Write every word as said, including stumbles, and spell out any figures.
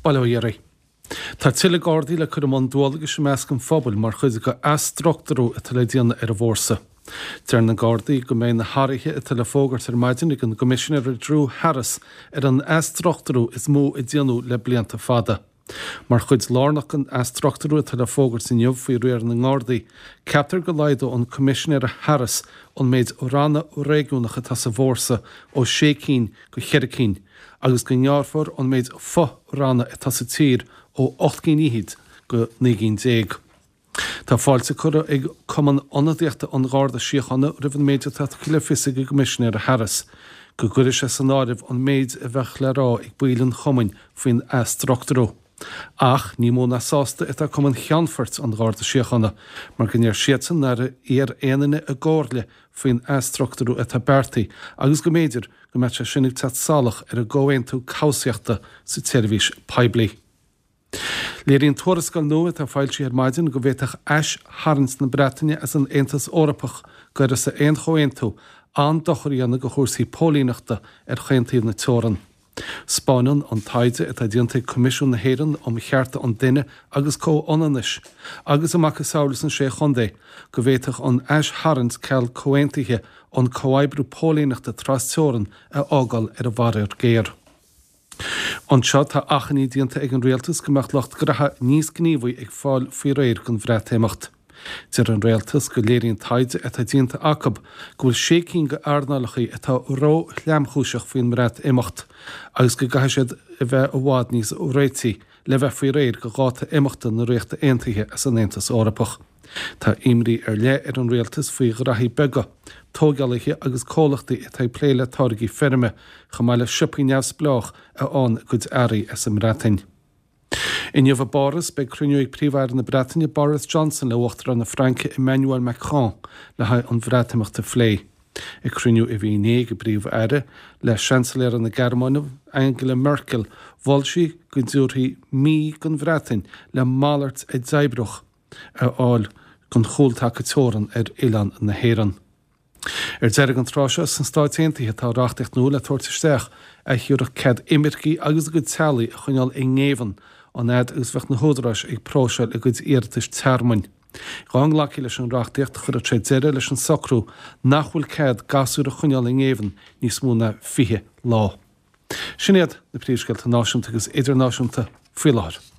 Bail ó Dhia oraibh. Tá tuilleadh Gardaí le cur i mbun dualgais i measc an phobail mar chuid de athstruchtúrú atá le déanamh ar an bhfórsa. Deir na Gardaí go mbeidh na hathruithe atá le fógairt ar maidin ag an gCoimisinéir Drew Harris ar an athstruchtúrú is mó a déanadh le blianta fada. Mar chuid lárnach den athstruchtúrú atá le fógairt inniu faoi riar na nGardaí, ceaptar go laghdóidh an Coimisinéir Harris an méid ranna réigiúnach atá sa bhfórsa ó sé cinn go ceithre cinn, agus go ngearrfar an méid fo-ranna atá sa tír ó ocht gcinn fhichead go naoi gcinn déag. Tá fáilte curtha ag Cumann Ionadaíochta an Gharda Síochána roimh an méid atá tugtha le fios ag an gCoimisinéir Harris, go gcuirfidh sé san áireamh an méid a bheadh le rá ag baill an chumainn faoin athstruchtúrú. Ach ní mó ná sásta atá Cumann Cheannfoirt an Gharda Síochána, mar go ndeir siadsan nár iarr aon duine a gcomhairle faoin athstruchtúrú atá beartaithe agus go mb'fhéidir go mbeadh sé sin ag teacht salach ar an gcomhaontú cobhsaíochta sa tseirbhís poiblí. Léiríonn tuarascáil nua atá foilsithe ar maidin go bhféadfadh aistharraingt na Breataine as an Aontas Eorpach d'uireasa aon chomhaontú an-dochar a dhéanamh do chúrsaí póilíneachta ar chaon taobh na teorann. 'Spáineann an taighde atá déanta ag Coimisiún na hÉireann um Chearta an Duine agus Comhionannais agus a macasamhail sna Sé Chontae go bhféadfadh an aistharraingt ceal comhaontaithe an comhoibriú póilíneachta trasteorann a fhágáil ar an bhfaraor géar. Anseo tá achainí déanta ag an rialtas go mbeadh lucht graithe níos gníomhaí ag fáil faoi réir don Bhreatimeacht. Deir an rialtas go léiríonn taighde atá déanta acu go bhfuil sé cinn d'earnálacha atá ró-thromchúiseach faoin mBreatimeacht agus go gcaithfidh siad a bheith i bhfad níos réití le bheith faoi réir do dháta imeachta na Ríochta Aontaithe as an Aontas Eorpach. Tá imní ar leith ar an rialtas faoi ghraithí beaga, tógálaithe agus comhlachtaí atá ag plé le táirgí feirme, chomh maith le siopaí neamhspleách a fhaigheann a gcuid earraí as an mBreatain. Inniu i bPáras beidh cruinniú ag Príomh-Aire na Breataine Boris Johnson le Uachtarán na Fraince Emmanuel Macron le haghaidh an Bhreatimeacht a phlé. Ag cruinniú a bhí inné ag an bPríomh-Aire le Seansailéir na Gearmáine Angela Merkel mhol sí go dtabharfaí mí don Bhreatain le malairt a d'oibreodh a fháil don chúltaca teorann ar oileán na hÉireann. Ar deireadh an tráth seo sna Stáit Aontaithe tá reachtaíocht nua le tabhairt isteach a thabharfadh cead imircigh agus a gcuid teaghlaigh a choinneáil i ngéibheann an fhad agus bheadh na húdaráis ag próiseáil a gcuid iarratais tearmainn. Dá nglacfaí leis an reachtaíocht chuirfeadh sé deireadh leis an socrú nach bhfuil cead gasúir a choinneáil i ngéibheann níos mó ná fiche lá. Sin iad na príomhscéalta náisiúnta agus idirnáisiúnta faoi láthair.